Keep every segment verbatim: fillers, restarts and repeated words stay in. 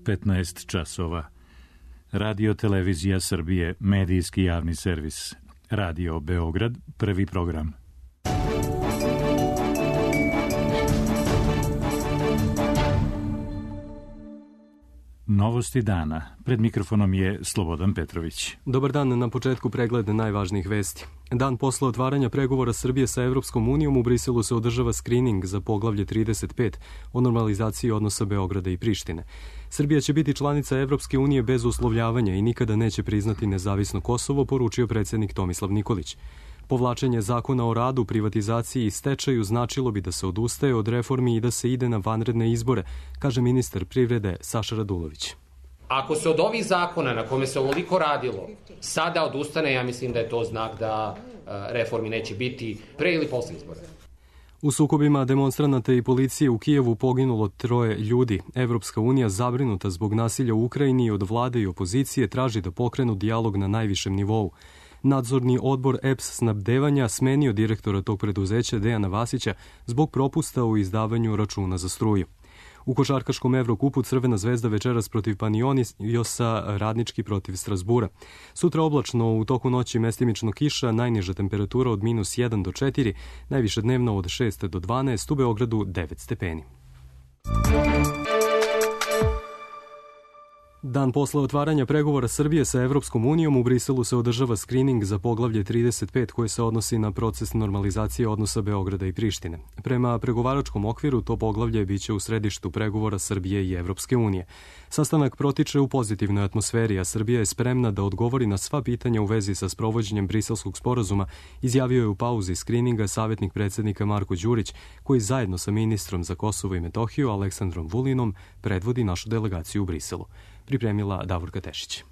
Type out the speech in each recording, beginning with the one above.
petnaest časova. Radio Televizija Srbije, medijski javni servis. Radio Beograd, prvi program. Novosti dana. Pred mikrofonom je Slobodan Petrović. Dobar dan, na početku pregled najvažnijih vesti. Dan posle otvaranja pregovora Srbije sa Evropskom unijom u Briselu se održava skrining za poglavlje trideset pet o normalizaciji odnosa Beograda i Prištine. Srbija će biti članica Evropske unije bez uslovljavanja i nikada neće priznati nezavisno Kosovo, poručio predsjednik Tomislav Nikolić. Povlačenje zakona o radu, privatizaciji i stečaju značilo bi da se odustaje od reformi i da se ide na vanredne izbore, kaže ministar privrede Saša Radulović. Ako se od ovih zakona na kome se ovoliko radilo sada odustane, ja mislim da je to znak da reformi neće biti pre ili posle izbora. U sukobima demonstranata i policije u Kijevu poginulo troje ljudi. Evropska unija, zabrinuta zbog nasilja u Ukrajini i od vlade i opozicije, traži da pokrenu dijalog na najvišem nivou. Nadzorni odbor E P S snabdevanja smenio direktora tog preduzeća Dejana Vasića zbog propusta u izdavanju računa za struju. U košarkaškom Evrokupu Crvena zvezda večeras protiv Panijoniosa, Radnički protiv Strasbura. Sutra oblačno, u toku noći mestimično kiša, najniža temperatura od minus jedan do četiri, najviše dnevno od šest do dvanaest, u Beogradu devet stepeni. Dan posle otvaranja pregovora Srbije sa Evropskom unijom u Briselu se održava skrining za poglavlje trideset pet koje se odnosi na proces normalizacije odnosa Beograda i Prištine. Prema pregovaračkom okviru to poglavlje biće u središtu pregovora Srbije i Evropske unije. Sastanak protiče u pozitivnoj atmosferi, a Srbija je spremna da odgovori na sva pitanja u vezi sa sprovođenjem Briselskog sporazuma, izjavio je u pauzi skrininga savjetnik predsjednika Marko Đurić, koji zajedno sa ministrom za Kosovo i Metohiju Aleksandrom Vulinom predvodi našu delegaciju u Briselu. Pripremila Davorka Tešić.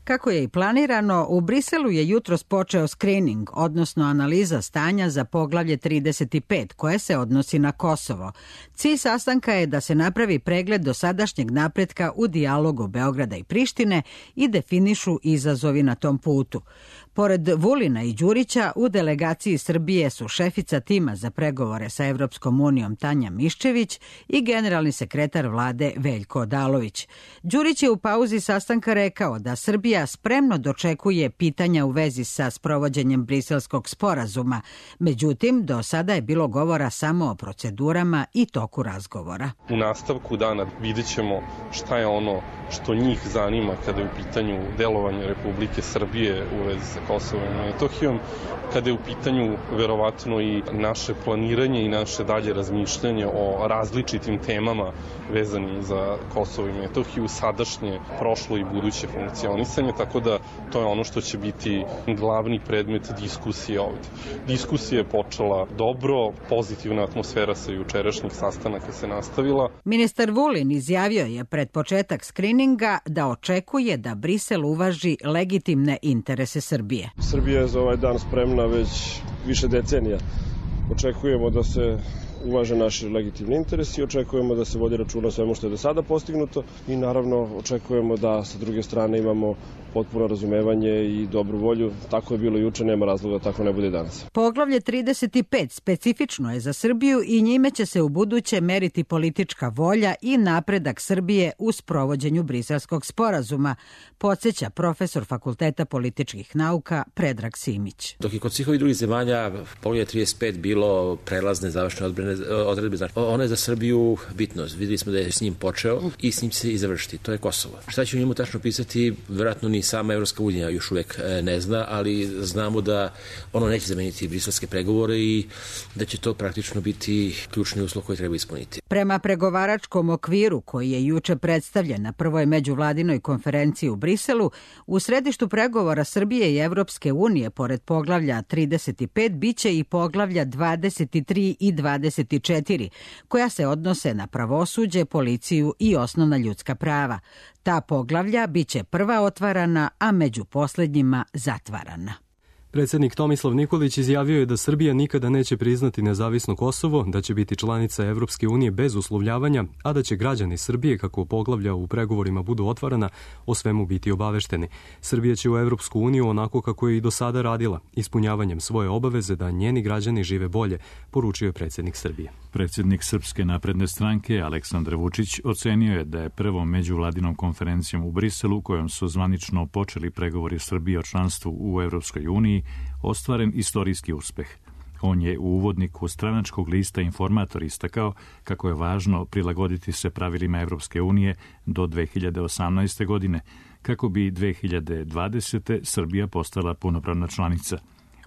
Kako je i planirano, u Briselu je jutros počeo skrining, odnosno analiza stanja za poglavlje trideset pet, koje se odnosi na Kosovo. Cilj sastanka je da se napravi pregled dosadašnjeg napretka u dijalogu Beograda i Prištine i definišu izazovi na tom putu. Pored Vulina i Đurića, u delegaciji Srbije su šefica tima za pregovore sa Evropskom unijom Tanja Miščević i generalni sekretar vlade Veljko Odalović. Đurić je u pauzi sastanka rekao da Srbija spremno dočekuje pitanja u vezi sa sprovođenjem Briselskog sporazuma. Međutim, do sada je bilo govora samo o procedurama i toku razgovora. U nastavku dana vidjet ćemo šta je ono što njih zanima kada je u pitanju delovanje Republike Srbije u vezi sa Kosovom i Metohijom, kada je u pitanju verovatno i naše planiranje i naše dalje razmišljanje o različitim temama vezanim za Kosovo i Metohiju, sadašnje, prošlo i buduće funkcionisanje, tako da to je ono što će biti glavni predmet diskusije ovdje. Diskusija je počela dobro, pozitivna atmosfera sa jučerašnjih sastanaka se nastavila. Ministar Vulin izjavio je pred početak skrininga da očekuje da Brisel uvaži legitimne interese Srbije. Srbija je za ovaj dan spremna već više decenija. Očekujemo da se uvaže naši legitimni interesi i očekujemo da se vodi računa o svemu što je do sada postignuto i naravno očekujemo da sa druge strane imamo potpuno razumevanje i dobru volju. Tako je bilo juče, nema razloga da tako ne bude i danas. Poglavlje trideset pet specifično je za Srbiju i njime će se u buduće meriti politička volja i napredak Srbije u sprovođenju Briselskog sporazuma, podsjeća profesor Fakulteta političkih nauka Predrag Simić. Dok je kod svih ovih drugih zemalja poglavlje trideset pet bilo prelazne završne odredbe, znači ono je za Srbiju bitno. Videli smo da je s njim počeo i s njim se i završiti. To je Kosovo. Šta će u njemu tačno pisati, vjerojatno ni sama Evropska unija još uvek ne zna, ali znamo da ono neće zameniti briselske pregovore i da će to praktično biti ključni uslov koji treba ispuniti. Prema pregovaračkom okviru koji je juče predstavljen na prvoj međuvladinoj konferenciji u Briselu, u središtu pregovora Srbije i Evropske unije pored poglavlja trideset pet biće i poglavlja dvadeset tri i dvadeset četiri, koja se odnose na pravosuđe, policiju i osnovna ljudska prava. Ta poglavlja biće prva otvarana, a među posljednjima zatvarana. Predsjednik Tomislav Nikolić izjavio je da Srbija nikada neće priznati nezavisno Kosovo, da će biti članica Evropske unije bez uslovljavanja, a da će građani Srbije, kako poglavlja u pregovorima budu otvarana, o svemu biti obavešteni. Srbija će u Evropsku uniju onako kako je i do sada radila, ispunjavanjem svoje obaveze da njeni građani žive bolje, poručio je predsjednik Srbije. Predsjednik Srpske napredne stranke Aleksandar Vučić ocenio je da je prvom međuvladinom konferencijom u Briselu, kojom su zvanično počeli pregovori Srbije o članstvu u Evropskoj uniji, ostvaren istorijski uspeh. On je u uvodniku stranačkog lista Informator istakao kako je važno prilagoditi se pravilima Evropske unije do dve hiljade osamnaeste. godine, kako bi dve hiljade dvadesete. Srbija postala punopravna članica.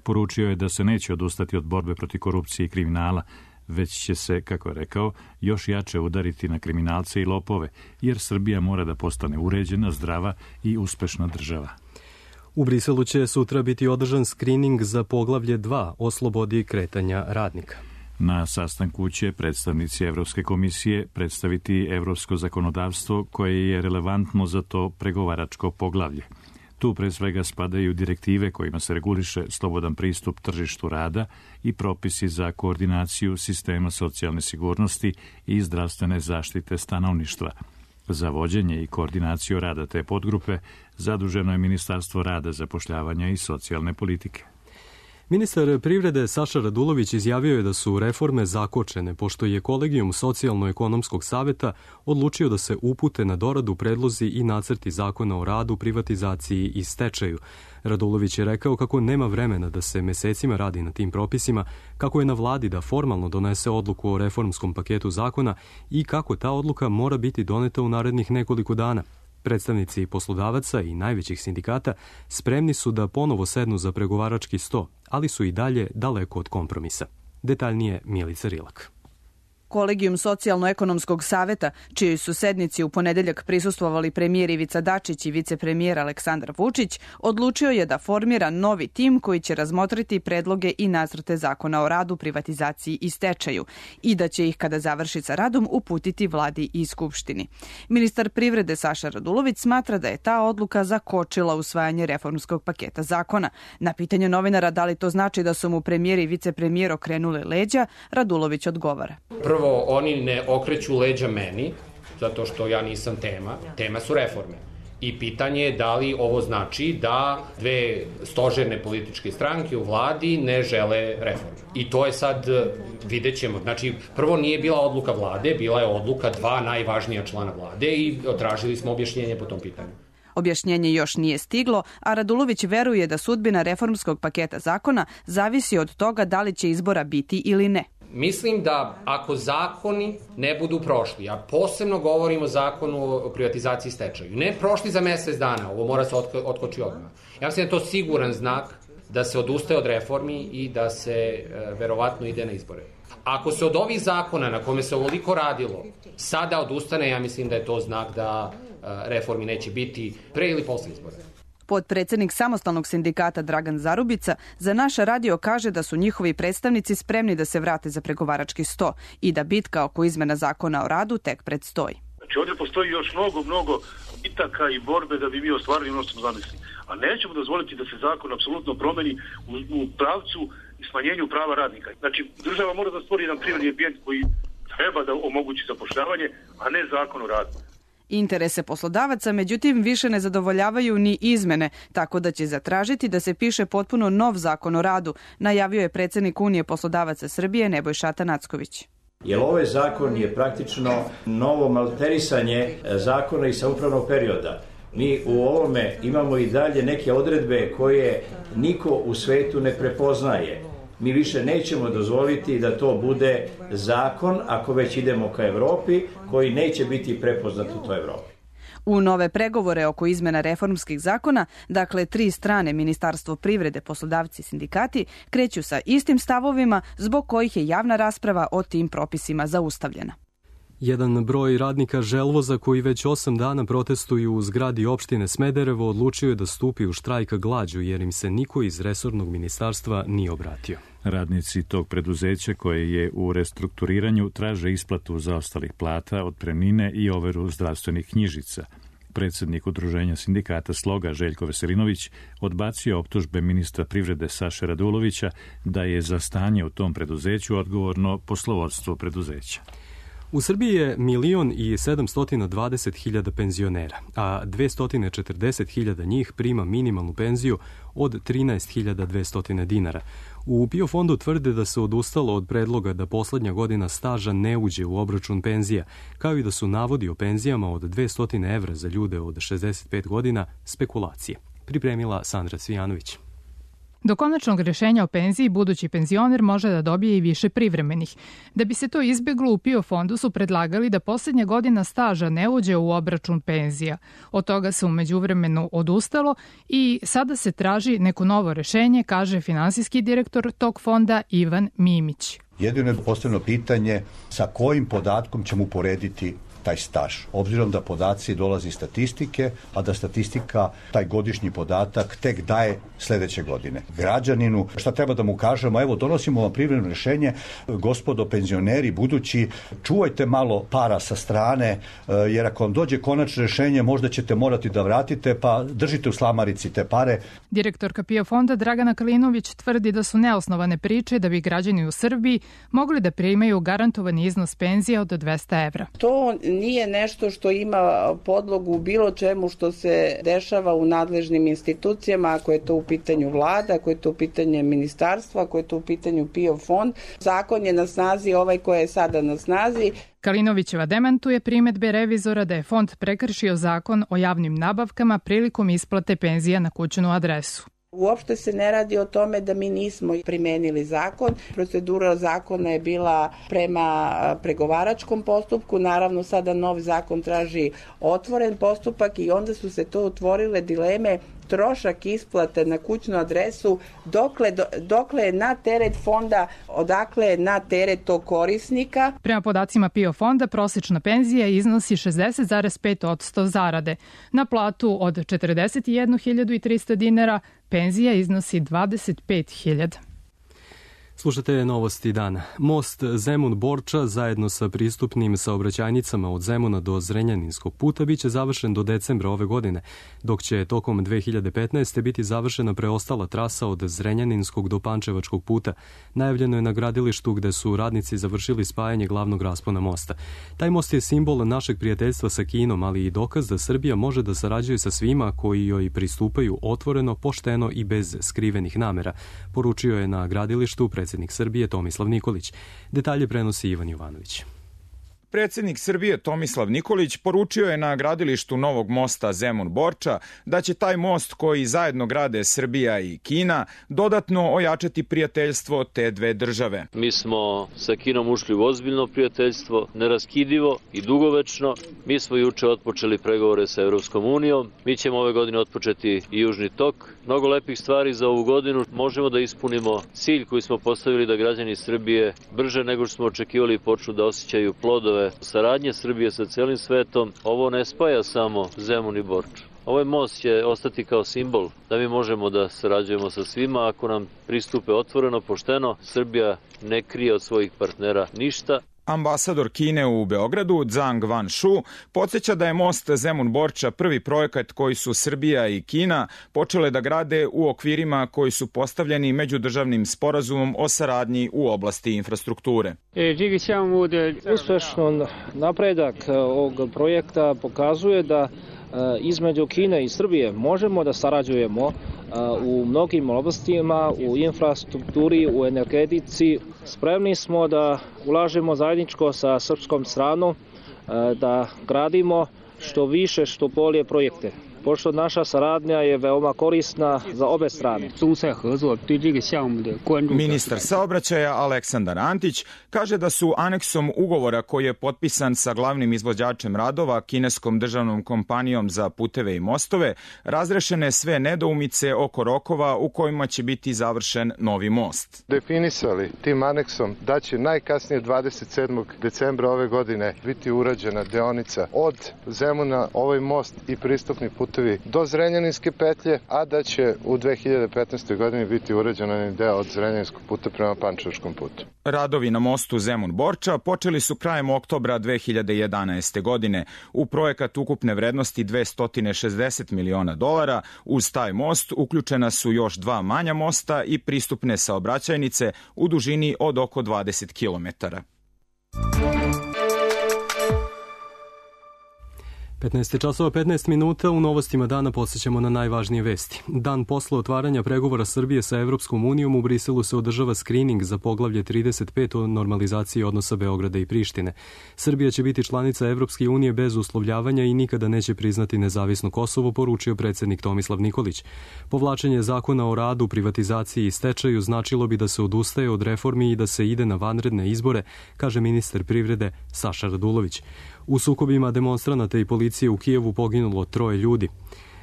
Poručio je da se neće odustati od borbe protiv korupcije i kriminala, već će se, kako je rekao, još jače udariti na kriminalce i lopove, jer Srbija mora da postane uređena, zdrava i uspešna država. U Briselu će sutra biti održan skrining za poglavlje dva o slobodi kretanja radnika. Na sastanku će predstavnici Evropske komisije predstaviti evropsko zakonodavstvo koje je relevantno za to pregovaračko poglavlje. Tu pre svega spadaju direktive kojima se reguliše slobodan pristup tržištu rada i propisi za koordinaciju sistema socijalne sigurnosti i zdravstvene zaštite stanovništva. Za vođenje i koordinaciju rada te podgrupe zaduženo je Ministarstvo rada, zapošljavanja i socijalne politike. Ministar privrede Saša Radulović izjavio je da su reforme zakočene, pošto je Kolegijum Socijalno-ekonomskog saveta odlučio da se upute na doradu predlozi i nacrti zakona o radu, privatizaciji i stečaju. Radulović je rekao kako nema vremena da se mesecima radi na tim propisima, kako je na vladi da formalno donese odluku o reformskom paketu zakona i kako ta odluka mora biti doneta u narednih nekoliko dana. Predstavnici poslodavaca i najvećih sindikata spremni su da ponovo sednu za pregovarački sto, ali su i dalje daleko od kompromisa. Detaljnije Milica Rilak. Kolegijum Socijalno-ekonomskog saveta, čiji su sednici u ponedeljak prisustvovali premijer Ivica Dačić i vicepremijer Aleksandar Vučić, odlučio je da formira novi tim koji će razmotriti predloge i nacrte zakona o radu, privatizaciji i stečaju i da će ih, kada završi sa radom, uputiti vladi i skupštini. Ministar privrede Saša Radulović smatra da je ta odluka zakočila usvajanje reformskog paketa zakona. Na pitanje novinara da li to znači da su mu premijer i vicepremijer okrenuli leđa, Radulović odgovara. Prvo, oni ne okreću leđa meni, zato što ja nisam tema. Tema su reforme. I pitanje je da li ovo znači da dve stožerne političke stranke u vladi ne žele reforme. I to je sad, vidjet ćemo. Znači, prvo nije bila odluka vlade, bila je odluka dva najvažnija člana vlade i tražili smo objašnjenje po tom pitanju. Objašnjenje još nije stiglo, a Radulović veruje da sudbina reformskog paketa zakona zavisi od toga da li će izbora biti ili ne. Mislim da ako zakoni ne budu prošli, a posebno govorim o zakonu o privatizaciji i stečaju, ne prošli za mesec dana, ovo mora se otkoči odmah. Ja mislim da je to siguran znak da se odustaje od reformi i da se e, verovatno ide na izbore. Ako se od ovih zakona na kome se ovoliko radilo sada odustane, ja mislim da je to znak da e, reformi neće biti pre ili posle izbora. Podpredsednik samostalnog sindikata Dragan Zarubica za naš radio kaže da su njihovi predstavnici spremni da se vrate za pregovarački sto i da bitka oko izmena zakona o radu tek predstoji. Znači ovdje postoji još mnogo, mnogo bitaka i borbe da bi mi ostvarili ono što smo zamislili. A nećemo dozvoliti da se zakon apsolutno promeni u, u pravcu i smanjenju prava radnika. Znači država mora da stvori jedan privredni ambijent koji treba da omogući zapošljavanje, a ne zakon o radu. Interese poslodavaca, međutim, više ne zadovoljavaju ni izmene, tako da će zatražiti da se piše potpuno nov zakon o radu, najavio je predsjednik Unije poslodavaca Srbije Nebojša Atanacković. Jer ovaj zakon je praktično novo malterisanje zakona iz samoupravnog perioda. Mi u ovome imamo i dalje neke odredbe koje niko u svetu ne prepoznaje. Mi više nećemo dozvoliti da to bude zakon, ako već idemo ka Evropi, koji neće biti prepoznat u toj Evropi. U nove pregovore oko izmena reformskih zakona, dakle tri strane, Ministarstvo privrede, poslodavci i sindikati, kreću sa istim stavovima zbog kojih je javna rasprava o tim propisima zaustavljena. Jedan broj radnika Želvoza koji već osam dana protestuju u zgradi opštine Smederevo odlučio je da stupi u štrajk glađu jer im se niko iz resornog ministarstva nije obratio. Radnici tog preduzeća koje je u restrukturiranju traže isplatu zaostalih plata, otpremnine i overu zdravstvenih knjižica. Predsednik Udruženja sindikata Sloga Željko Veselinović odbacio optužbe ministra privrede Saše Radulovića da je za stanje u tom preduzeću odgovorno poslovodstvo preduzeća. U Srbiji je milion i sedamsto dvadeset hiljada penzionera, a dvesta četrdeset hiljada njih prima minimalnu penziju od trinaest hiljada dvesta dinara. U PIO fondu tvrde da se odustalo od predloga da poslednja godina staža ne uđe u obračun penzija, kao i da su navodi o penzijama od dvesta evra za ljude od šezdeset pet godina spekulacije. Pripremila Sandra Cvijanović. Do konačnog rješenja o penziji budući penzioner može da dobije i više privremenih. Da bi se to izbjeglo, u PIO fondu su predlagali da posljednja godina staža ne uđe u obračun penzija. Od toga se u međuvremenu odustalo i sada se traži neko novo rješenje, kaže finansijski direktor tog fonda Ivan Mimić. Jedino je postavljeno pitanje sa kojim podatkom ćemo uporediti taj staž, obzirom da podaci dolazi iz statistike, a da statistika taj godišnji podatak tek daje sledeće godine. Građaninu, šta treba da mu kažemo, evo donosimo vam privremeno rješenje, gospodo penzioneri budući, čuvajte malo para sa strane, jer ako vam dođe konačno rješenje, možda ćete morati da vratite, pa držite u slamarici te pare. Direktorka PIO fonda Dragana Kalinović tvrdi da su neosnovane priče da bi građani u Srbiji mogli da primaju garantovani iznos penzija od dvesta evra. To nije nešto što ima podlogu u bilo čemu što se dešava u nadležnim institucijama, ako je to u pitanju vlada, ako je to u pitanju ministarstva, ako je to u pitanju PIO fond. Zakon je na snazi ovaj koji je sada na snazi. Kalinovićeva demantuje primedbe revizora da je fond prekršio zakon o javnim nabavkama prilikom isplate penzija na kućnu adresu. Uopšte se ne radi o tome da mi nismo primenili zakon. Procedura zakona je bila prema pregovaračkom postupku. Naravno, sada nov zakon traži otvoren postupak i onda su se to otvorile dileme trošak isplate na kućnu adresu, dokle, dokle je na teret fonda, odakle je na teret tog korisnika. Prema podacima PIO fonda, prosječna penzija iznosi šezdeset zarez pet posto zarade. Na platu od četrdeset jednu hiljadu trista dinara penzija iznosi dvadeset pet hiljada. Slušate novosti dana. Most Zemun-Borča zajedno sa pristupnim saobraćajnicama od Zemuna do Zrenjaninskog puta biće završen do decembra ove godine, dok će tokom dve hiljade petnaeste. biti završena preostala trasa od Zrenjaninskog do Pančevačkog puta. Najavljeno je na gradilištu gde su radnici završili spajanje glavnog raspona mosta. Taj most je simbol našeg prijateljstva sa Kinom, ali i dokaz da Srbija može da sarađuje sa svima koji joj pristupaju otvoreno, pošteno i bez skrivenih namera, poručio je na gradilištu predsjednik Srbije Tomislav Nikolić. Detalje prenosi Ivan Jovanović. Predsjednik Srbije Tomislav Nikolić poručio je na gradilištu novog mosta Zemun-Borča da će taj most koji zajedno grade Srbija i Kina dodatno ojačati prijateljstvo te dve države. Mi smo sa Kinom ušli u ozbiljno prijateljstvo, neraskidivo i dugovečno. Mi smo juče otpočeli pregovore sa Evropskom unijom. Mi ćemo ove godine otpočeti i Južni tok. Mnogo lepih stvari za ovu godinu. Možemo da ispunimo cilj koji smo postavili da građani Srbije brže nego što smo očekivali počnu da osjećaju plodove saradnje Srbije sa celim svetom. Ovo ne spaja samo Zemun i Borču. Ovaj most će ostati kao simbol da mi možemo da sarađujemo sa svima ako nam pristupe otvoreno, pošteno. Srbija ne krije od svojih partnera ništa. Ambasador Kine u Beogradu, Zhang Wanshu, podsjeća da je most Zemun-Borča prvi projekat koji su Srbija i Kina počele da grade u okvirima koji su postavljeni međudržavnim sporazumom o saradnji u oblasti infrastrukture. Uspešno napredak ovog projekta pokazuje da između Kine i Srbije možemo da sarađujemo u mnogim oblastima, u infrastrukturi, u energetici. Spremni smo da ulažemo zajedničko sa srpskom stranom, da gradimo što više, što bolje projekte. Pošto naša saradnja je veoma korisna za obe strane. Ministar saobraćaja Aleksandar Antić kaže da su aneksom ugovora koji je potpisan sa glavnim izvođačem radova, kineskom državnom kompanijom za puteve i mostove, razrešene sve nedoumice oko rokova u kojima će biti završen novi most. Definisali tim aneksom da će najkasnije dvadeset sedmog decembra ove godine biti urađena deonica od Zemuna, ovaj most i pristupni put do Zrenjaninske petlje, a da će u dve hiljade petnaestoj. godini biti urađen deo od Zrenjaninskog puta prema Pančevačkom putu. Radovi na mostu Zemun-Borča počeli su krajem oktobra dve hiljade jedanaeste. godine. U projekat ukupne vrednosti dvesta šezdeset miliona dolara, uz taj most uključena su još dva manja mosta i pristupne saobraćajnice u dužini od oko dvadeset kilometara. petnaest časova petnaest minuta, u novostima dana podsjećamo na najvažnije vesti. Dan posle otvaranja pregovora Srbije sa Evropskom unijom u Briselu se održava skrining za poglavlje trideset pet o normalizaciji odnosa Beograda i Prištine. Srbija će biti članica Evropske unije bez uslovljavanja i nikada neće priznati nezavisno Kosovo, poručio predsednik Tomislav Nikolić. Povlačenje zakona o radu, privatizaciji i stečaju značilo bi da se odustaje od reformi i da se ide na vanredne izbore, kaže ministar privrede Saša Radulović. U sukobima demonstranata i policije u Kijevu poginulo troje ljudi.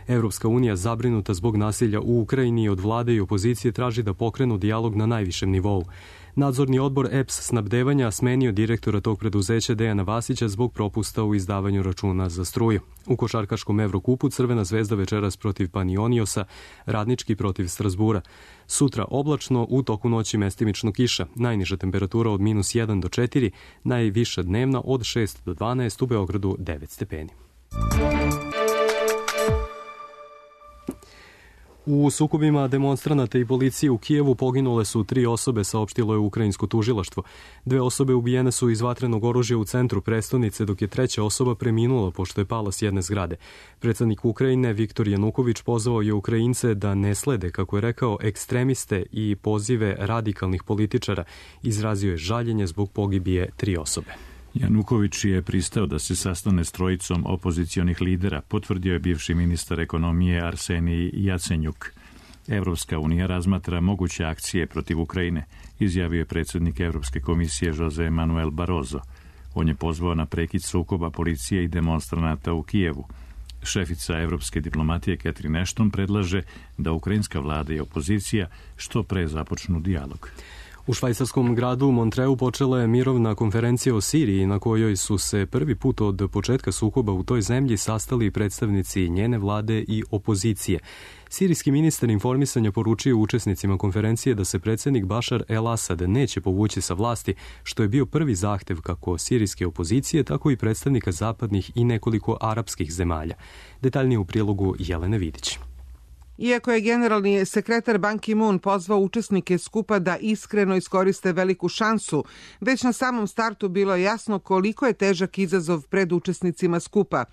Evropska unija, zabrinuta zbog nasilja u Ukrajini, od vlade i opozicije traži da pokrenu dijalog na najvišem nivou. Nadzorni odbor E P S snabdevanja smenio direktora tog preduzeća Dejana Vasića zbog propusta u izdavanju računa za struju. U košarkaškom Evrokupu Crvena zvezda večeras protiv Panioniosa, Radnički protiv Strasbura. Sutra oblačno, u toku noći mestimično kiša. Najniža temperatura od minus jedan do četiri, najviša dnevna od šest do dvanaest, u Beogradu devet stepeni. U sukobima demonstranata i policije u Kijevu poginule su tri osobe, saopštilo je ukrajinsko tužilaštvo. Dve osobe ubijene su iz vatrenog oružja u centru prestonice, dok je treća osoba preminula pošto je pala s jedne zgrade. Predsednik Ukrajine Viktor Januković pozvao je Ukrajince da ne slede, kako je rekao, ekstremiste i pozive radikalnih političara. Izrazio je žaljenje zbog pogibije tri osobe. Januković je pristao da se sastane s trojicom opozicionih lidera, potvrdio je bivši ministar ekonomije Arsenij Jacenjuk. Evropska unija razmatra moguće akcije protiv Ukrajine, izjavio je predsednik Evropske komisije Jose Manuel Barroso. On je pozvao na prekid sukoba policije i demonstranata u Kijevu. Šefica evropske diplomatije Catherine Ashton predlaže da ukrajinska vlada i opozicija što pre započnu dijalog. U švajcarskom gradu Montreu počela je mirovna konferencija o Siriji, na kojoj su se prvi put od početka sukoba u toj zemlji sastali predstavnici njene vlade i opozicije. Sirijski ministar informisanja poručio učesnicima konferencije da se predsednik Bašar el-Asad neće povući sa vlasti, što je bio prvi zahtev kako sirijske opozicije, tako i predstavnika zapadnih i nekoliko arapskih zemalja. Detaljnije u prilogu Jelene Vidić. Iako je generalni sekretar Ban Ki-moon pozvao učesnike skupa da iskreno iskoriste veliku šansu, već na samom startu bilo je jasno koliko je težak izazov pred učesnicima skupa.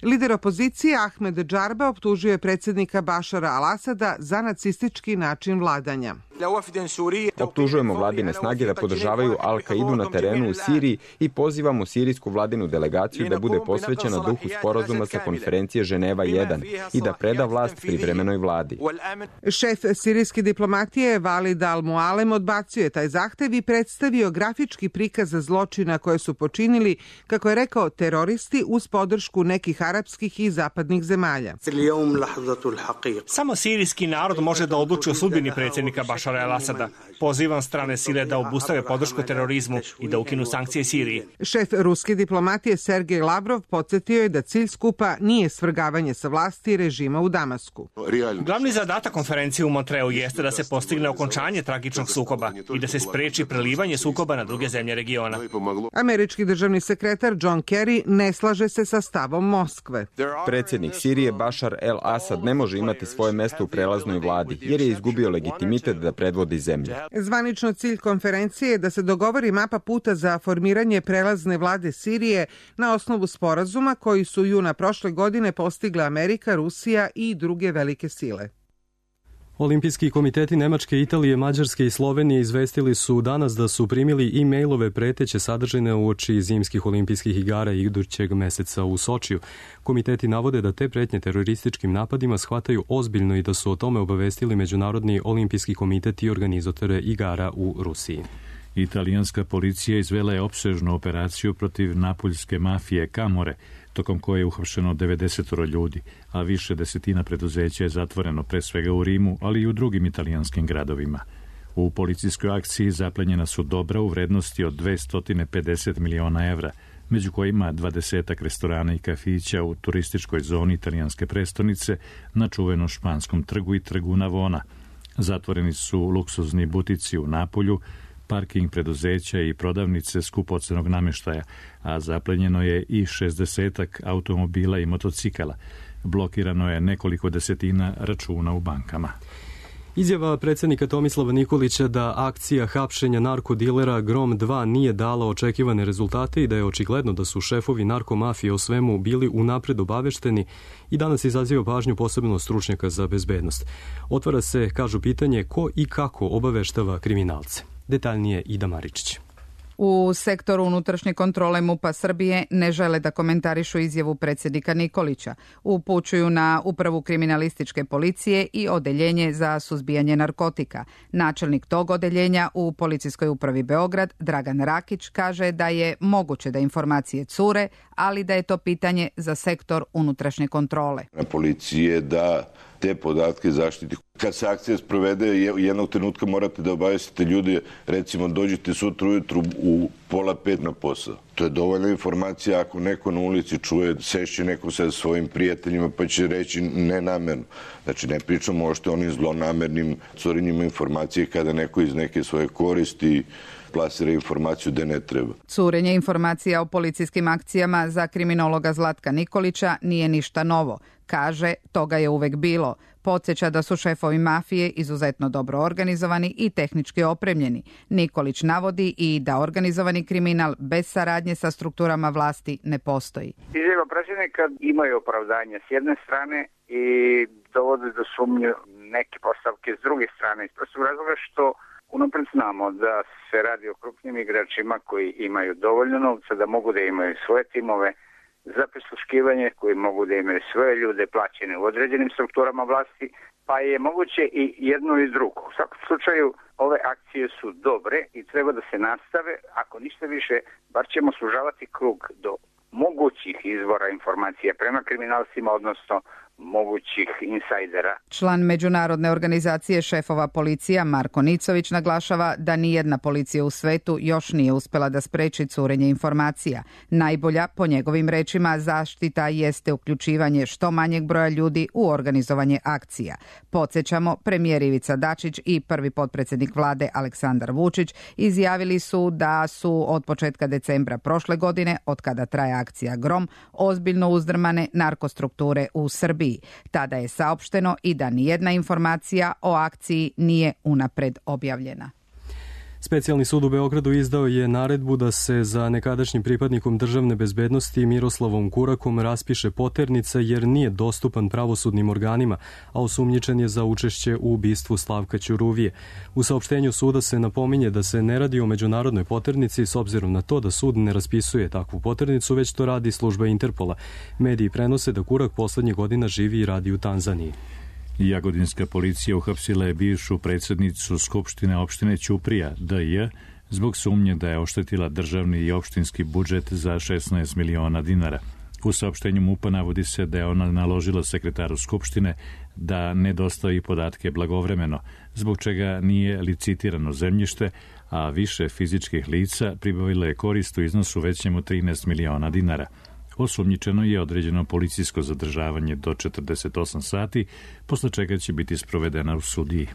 Lider opozicije Ahmed Džarba optužio je predsednika Bašara al-Asada za nacistički način vladanja. Optužujemo vladine snage da podržavaju Al-Kaidu na terenu u Siriji i pozivamo sirijsku vladinu delegaciju da bude posvećena duhu sporazuma sa konferencije Ženeva jedan i da preda vlast privremenoj vladi. Šef sirijske diplomatije Valid al-Mualem odbacio je taj zahtev i predstavio grafički prikaz zločina koje su počinili, kako je rekao, teroristi uz podršku nekih arapskih i zapadnih zemalja. Samo sirijski narod može da odluči o sudbini predsjednika Bašara el-Asada. Pozivam strane sile da obustave podršku terorizmu i da ukinu sankcije Siriji. Šef ruske diplomatije Sergej Lavrov podsjetio je da cilj skupa nije svrgavanje sa vlasti režima u Damasku. Glavni zadatak konferencije u Montreu jeste da se postigne okončanje tragičnog sukoba i da se spreči prelivanje sukoba na druge zemlje regiona. Američki državni sekretar John Kerry ne slaže se sa stavom Moskve. Predsjednik Sirije Bašar el-Asad ne može imati svoje mesto u prelaznoj vladi jer je izgubio legitimitet da predvodi zemlju. Zvanično cilj konferencije je da se dogovori mapa puta za formiranje prelazne vlade Sirije na osnovu sporazuma koji su juna prošle godine postigle Amerika, Rusija i druge velike sile. Olimpijski komiteti Nemačke, Italije, Mađarske i Slovenije izvestili su danas da su primili e-mailove preteće sadržine uoči zimskih olimpijskih igara idućeg meseca u Sočiju. Komiteti navode da te pretnje terorističkim napadima shvataju ozbiljno i da su o tome obavestili Međunarodni olimpijski komitet i organizatore igara u Rusiji. Italijanska policija izvela je opsežnu operaciju protiv napuljske mafije Camorre, tokom koje je uhapšeno devedeset ljudi, a više desetina preduzeća je zatvoreno pre svega u Rimu, ali i u drugim italijanskim gradovima. U policijskoj akciji zaplenjena su dobra u vrednosti od dvesta pedeset miliona evra, među kojima dvadesetak restorana i kafića u turističkoj zoni italijanske prestonice na čuvenom Španskom trgu i trgu Navona. Zatvoreni su luksuzni butici u Napolju, parking preduzeća i prodavnice skupocenog nameštaja, a zaplenjeno je i šezdesetak automobila i motocikala. Blokirano je nekoliko desetina računa u bankama. Izjava predsjednika Tomislava Nikolića da akcija hapšenja narkodilera Grom dva nije dala očekivane rezultate i da je očigledno da su šefovi narkomafije o svemu bili unapred obavešteni i danas izaziva pažnju posebno stručnjaka za bezbednost. Otvara se, kažu, pitanje ko i kako obaveštava kriminalce. Detaljnije Ida Maričić. U sektoru unutrašnje kontrole MUP-a Srbije ne žele da komentarišu izjavu predsjednika Nikolića. Upućuju na Upravu kriminalističke policije i Odeljenje za suzbijanje narkotika. Načelnik tog odeljenja u Policijskoj upravi Beograd, Dragan Rakić, kaže da je moguće da informacije cure, ali da je to pitanje za sektor unutrašnje kontrole. Na policiji je da te podatke zaštiti. Kad se akcija sprovede, jednog trenutka morate da obavestite ljude, recimo dođete sutra ujutru u pola pet na posao. To je dovoljna informacija ako neko na ulici čuje, sešće neko sa svojim prijateljima pa će reći nenamerno. Znači ne pričamo o što onim zlonamernim curenjima informacije kada neko iz neke svoje koristi plasira informaciju da ne treba. Curenje informacija o policijskim akcijama za kriminologa Zlatka Nikolića nije ništa novo. Kaže, toga je uvek bilo. Podsjeća da su šefovi mafije izuzetno dobro organizovani i tehnički opremljeni. Nikolić navodi i da organizovani kriminal bez saradnje sa strukturama vlasti ne postoji. Izjava predsjednika imaju opravdanje s jedne strane i dovode do sumnje neke postavke s druge strane. Iz prostog razloga što unapred znamo da se radi o krupnim igračima koji imaju dovoljno novca da mogu da imaju svoje timove za prisluškivanje, koji mogu da imaju svoje ljude plaćene u određenim strukturama vlasti, pa je moguće i jedno i drugo. U svakom slučaju, ove akcije su dobre i treba da se nastave. Ako ništa više, bar ćemo sužavati krug do mogućih izvora informacija prema kriminalcima, odnosno mogućih insajdera. Član Međunarodne organizacije šefova policija Marko Nicović naglašava da nijedna policija u svetu još nije uspela da spreči curenje informacija. Najbolja, po njegovim rečima, zaštita jeste uključivanje što manjeg broja ljudi u organizovanje akcija. Podsjećamo, premijer Ivica Dačić i prvi potpredsjednik vlade Aleksandar Vučić izjavili su da su od početka decembra prošle godine, od kada traje akcija Grom, ozbiljno uzdrmane narkostrukture u Srbiji. Tada je saopšteno i da nijedna informacija o akciji nije unapred objavljena. Specijalni sud u Beogradu izdao je naredbu da se za nekadašnjim pripadnikom državne bezbednosti Miroslavom Kurakom raspiše poternica jer nije dostupan pravosudnim organima, a osumnjičen je za učešće u ubistvu Slavka Ćuruvije. U saopštenju suda se napominje da se ne radi o međunarodnoj poternici s obzirom na to da sud ne raspisuje takvu poternicu, već to radi služba Interpola. Mediji prenose da Kurak poslednjih godina živi i radi u Tanzaniji. Jagodinska policija uhapsila je bivšu predsjednicu Skupštine opštine Ćuprija, D J, zbog sumnje da je oštetila državni i opštinski budžet za šesnaest miliona dinara. U saopštenju MUP-a navodi se da je ona naložila sekretaru Skupštine da ne dostavi podatke blagovremeno, zbog čega nije licitirano zemljište, a više fizičkih lica pribavilo je korist u iznosu većem od trinaest miliona dinara. Osumnjičeno je određeno policijsko zadržavanje do četrdeset osam sati, posle čega će biti sprovedena u sudiji.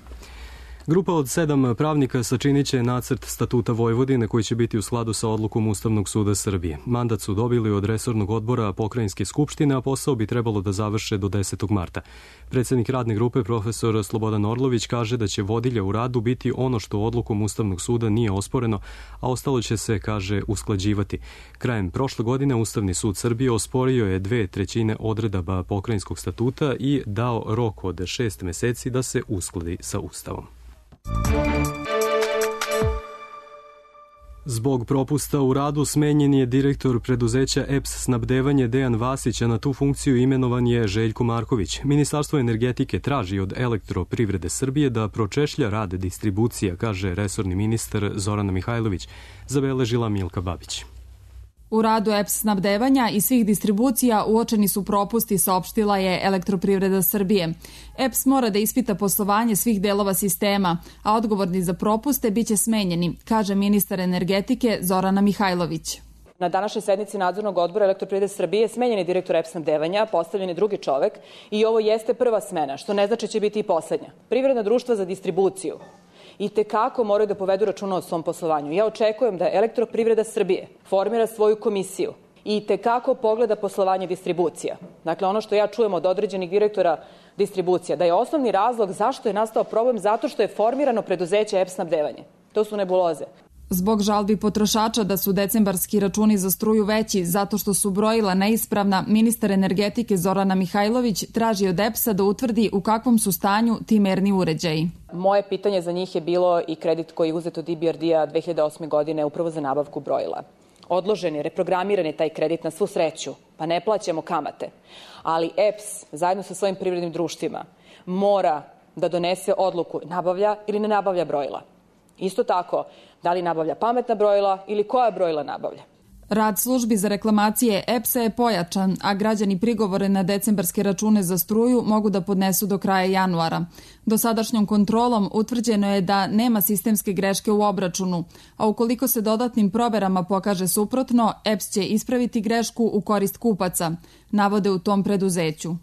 Grupa od sedam pravnika sačinit će nacrt statuta Vojvodine koji će biti u skladu sa odlukom Ustavnog suda Srbije. Mandat su dobili od resornog odbora Pokrajinske skupštine, a posao bi trebalo da završe do desetog marta. Predsjednik radne grupe profesor Slobodan Orlović kaže da će vodilja u radu biti ono što odlukom Ustavnog suda nije osporeno, a ostalo će se, kaže, usklađivati. Krajem prošle godine Ustavni sud Srbije osporio je dve trećine odredaba Pokrajinskog statuta i dao rok od šest meseci da se uskladi sa Ustavom. Zbog propusta u radu smenjen je direktor preduzeća E P S snabdevanje Dejan Vasić, a na tu funkciju imenovan je Željko Marković. Ministarstvo energetike traži od Elektroprivrede Srbije da pročešlja rad distribucija, kaže resorni ministar Zorana Mihajlović, zabeležila Milka Babić. U radu E P S snabdevanja i svih distribucija uočeni su propusti, saopštila je Elektroprivreda Srbije. E P S mora da ispita poslovanje svih delova sistema, a odgovorni za propuste biće smenjeni, kaže ministar energetike Zorana Mihajlović. Na današnjoj sednici nadzornog odbora Elektroprivrede Srbije smenjen je direktor E P S snabdevanja, postavljen je drugi čovek i ovo jeste prva smena, što ne znači će biti i poslednja. Privredna društva za distribuciju i tekako moraju da povedu računa o svom poslovanju. Ja očekujem da Elektroprivreda Srbije formira svoju komisiju i tekako pogleda poslovanje distribucija. Dakle, ono što ja čujem od određenih direktora distribucija, da je osnovni razlog zašto je nastao problem zato što je formirano preduzeće E P snabdevanje. To su nebuloze. Zbog žalbi potrošača da su decembarski računi za struju veći zato što su brojila neispravna, ministar energetike Zorana Mihajlović traži od E P S-a da utvrdi u kakvom su stanju ti merni uređaji. Moje pitanje za njih je bilo i kredit koji je uzet od I B R D-a dve hiljade osme. godine upravo za nabavku brojila. Odložen je, reprogramiran je taj kredit na svu sreću, pa ne plaćamo kamate. Ali E P S zajedno sa svojim privrednim društvima mora da donese odluku nabavlja ili ne nabavlja brojila. Isto tako, da li nabavlja pametna brojila ili koja brojila nabavlja. Rad službi za reklamacije E P S-a je pojačan, a građani prigovore na decembarske račune za struju mogu da podnesu do kraja januara. Dosadašnjom kontrolom utvrđeno je da nema sistemske greške u obračunu, a ukoliko se dodatnim proverama pokaže suprotno, E P S će ispraviti grešku u korist kupaca, navode u tom preduzeću.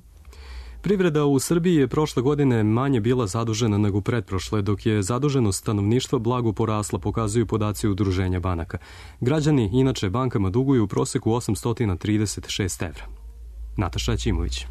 Privreda u Srbiji je prošle godine manje bila zadužena nego pretprošle, dok je zaduženost stanovništva blago porasla, pokazuju podaci Udruženja banaka. Građani inače bankama duguju u proseku osamsto trideset šest evra. Nataša Ćimović.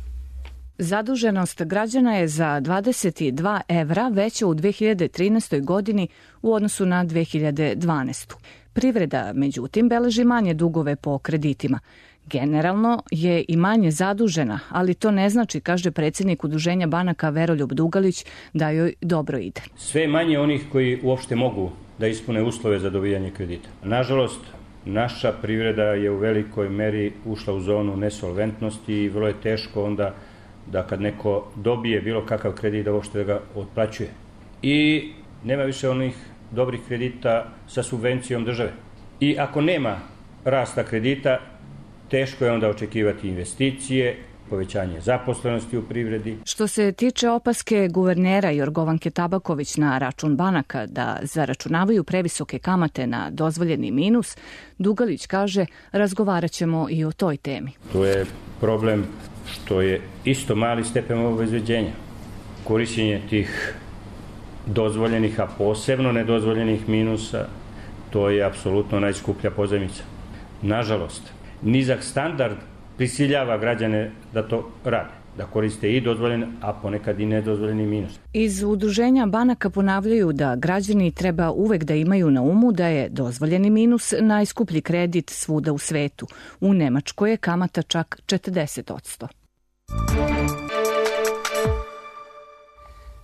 Zaduženost građana je za dvadeset dva evra veća u dve hiljade trinaestoj. godini u odnosu na dve hiljade dvanaestu. Privreda, međutim, beleži manje dugove po kreditima. Generalno je i manje zadužena, ali to ne znači, kaže predsjednik Udruženja banaka Veroljub Dugalić, da joj dobro ide. Sve manje onih koji uopšte mogu da ispune uslove za dobijanje kredita. Nažalost, naša privreda je u velikoj meri ušla u zonu nesolventnosti i vrlo je teško onda da kad neko dobije bilo kakav kredit da uopšte ga otplaćuje. I nema više onih dobrih kredita sa subvencijom države. I ako nema rasta kredita, teško je onda očekivati investicije, povećanje zaposlenosti u privredi. Što se tiče opaske guvernera Jorgovanke Tabaković na račun banaka da zaračunavaju previsoke kamate na dozvoljeni minus, Dugalić kaže razgovarat ćemo i o toj temi. To je problem što je isto mali stepen obezbeđenja. Korišćenje tih dozvoljenih, a posebno nedozvoljenih minusa, to je apsolutno najskuplja pozajmica. Nažalost, nizak standard prisiljava građane da to rade, da koriste i dozvoljen, a ponekad i nedozvoljeni minus. Iz Udruženja banaka ponavljaju da građani treba uvek da imaju na umu da je dozvoljeni minus najskuplji kredit svuda u svetu. U Nemačkoj je kamata čak četrdeset odsto.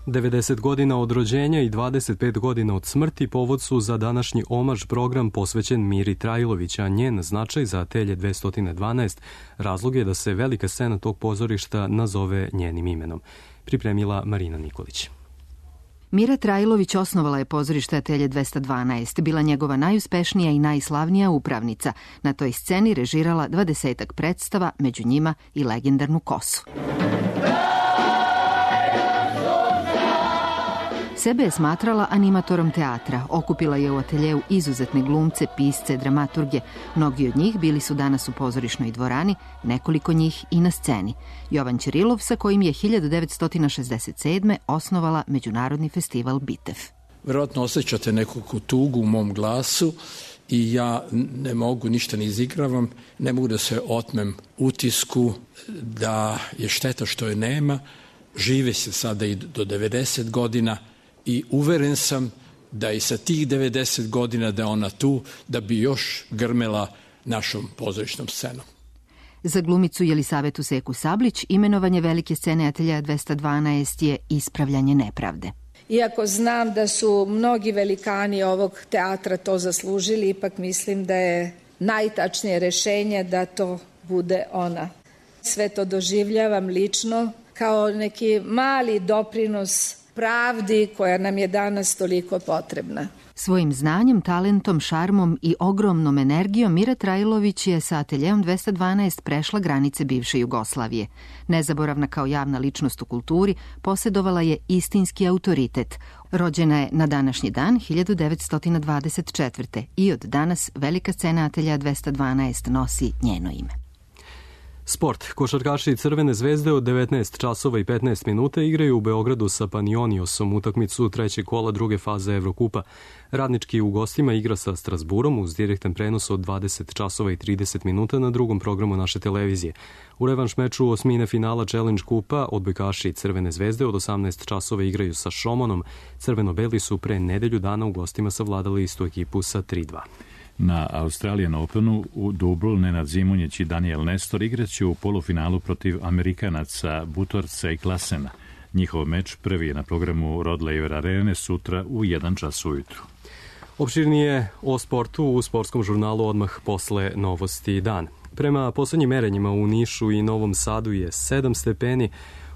devedeset godina od rođenja i dvadeset pet godina od smrti povod su za današnji omaž program posvećen Miri Trajlović, a njen značaj za Atelje dvesta dvanaest razlog je da se velika scena tog pozorišta nazove njenim imenom. Pripremila Marina Nikolić. Mira Trajlović osnovala je pozorište Atelje dvesta dvanaest, bila njegova najuspešnija i najslavnija upravnica. Na toj sceni režirala dvadesetak predstava, među njima i legendarnu Kosu. Sebe je smatrala animatorom teatra, okupila je u ateljeu izuzetne glumce, pisce, dramaturge. Mnogi od njih bili su danas u pozorišnoj dvorani, nekoliko njih i na sceni. Jovan Ćirilov, sa kojim je hiljadu devetsto šezdeset sedme. osnovala Međunarodni festival Bitev. Vjerojatno osjećate neku tugu u mom glasu i ja ne mogu, ništa ne izigravam, ne mogu da se otmem utisku da je šteta što je nema. Žive se sada i do devedeset godina, i uveren sam da i sa tih devedeset godina da je ona tu, da bi još grmela našom pozorišnom scenom. Za glumicu Jelisavetu Seku Sablić imenovanje velike scene Atelja dvesta dvanaest je ispravljanje nepravde. Iako znam da su mnogi velikani ovog teatra to zaslužili, ipak mislim da je najtačnije rešenje da to bude ona. Sve to doživljavam lično kao neki mali doprinos pravdi koja nam je danas toliko potrebna. Svojim znanjem, talentom, šarmom i ogromnom energijom Mira Trajlović je sa Ateljeom dvesta dvanaest prešla granice bivše Jugoslavije. Nezaboravna kao javna ličnost u kulturi, posjedovala je istinski autoritet. Rođena je na današnji dan hiljadu devetsto dvadeset četvrte. i od danas velika scena Atelja dvesta dvanaest nosi njeno ime. Sport. Košarkaši Crvene zvezde od devetnaest časova i petnaest minuta igraju u Beogradu sa Panionijosom utakmicu trećeg kola druge faze Evrokupa. Radnički u gostima igra sa Strasburom uz direktan prenos od dvadeset časova i trideset minuta na drugom programu naše televizije. U revanš meču osmine finala Challenge kupa odbojkaši Crvene zvezde od osamnaest časova igraju sa Šomonom. Crveno-beli su pre nedelju dana u gostima savladali istu ekipu sa tri dva. Na Australian Openu u dubl Nenad Zimonjić i Daniel Nestor igraće u polufinalu protiv Amerikanaca Butorca i Klasena. Njihov meč prvi je na programu Rod Laver Arene sutra u jedan čas ujutru. Opširnije o sportu u sportskom žurnalu odmah posle Novosti dan. Prema poslednjim merenjima u Nišu i Novom Sadu je sedam stepeni,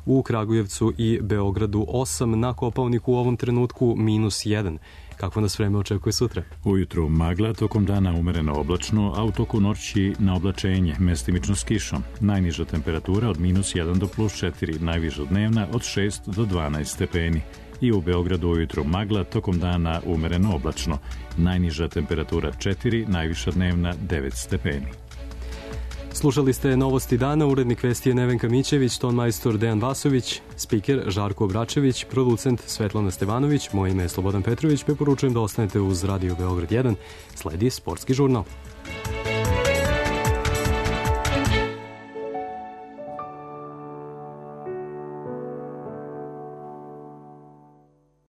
u Kragujevcu i Beogradu osam, na Kopaoniku u ovom trenutku minus jedan. Kako nas vreme očekuje sutra? Ujutru magla, tokom dana umereno oblačno, a u toku noći na oblačenje, mestimično s kišom. Najniža temperatura od minus jedan do plus četiri, najviša dnevna od šest do dvanaest stepeni. I u Beogradu ujutru magla, tokom dana umereno oblačno. Najniža temperatura četiri, najviša dnevna devet stepeni. Slušali ste Novosti dana, urednik vesti je Nevenka Mićević, ton majstor Dejan Vasović, spiker Žarko Obračević, producent Svetlana Stevanović, moje ime je Slobodan Petrović, preporučujem da ostanete uz Radio Beograd jedan, sledi sportski žurnal.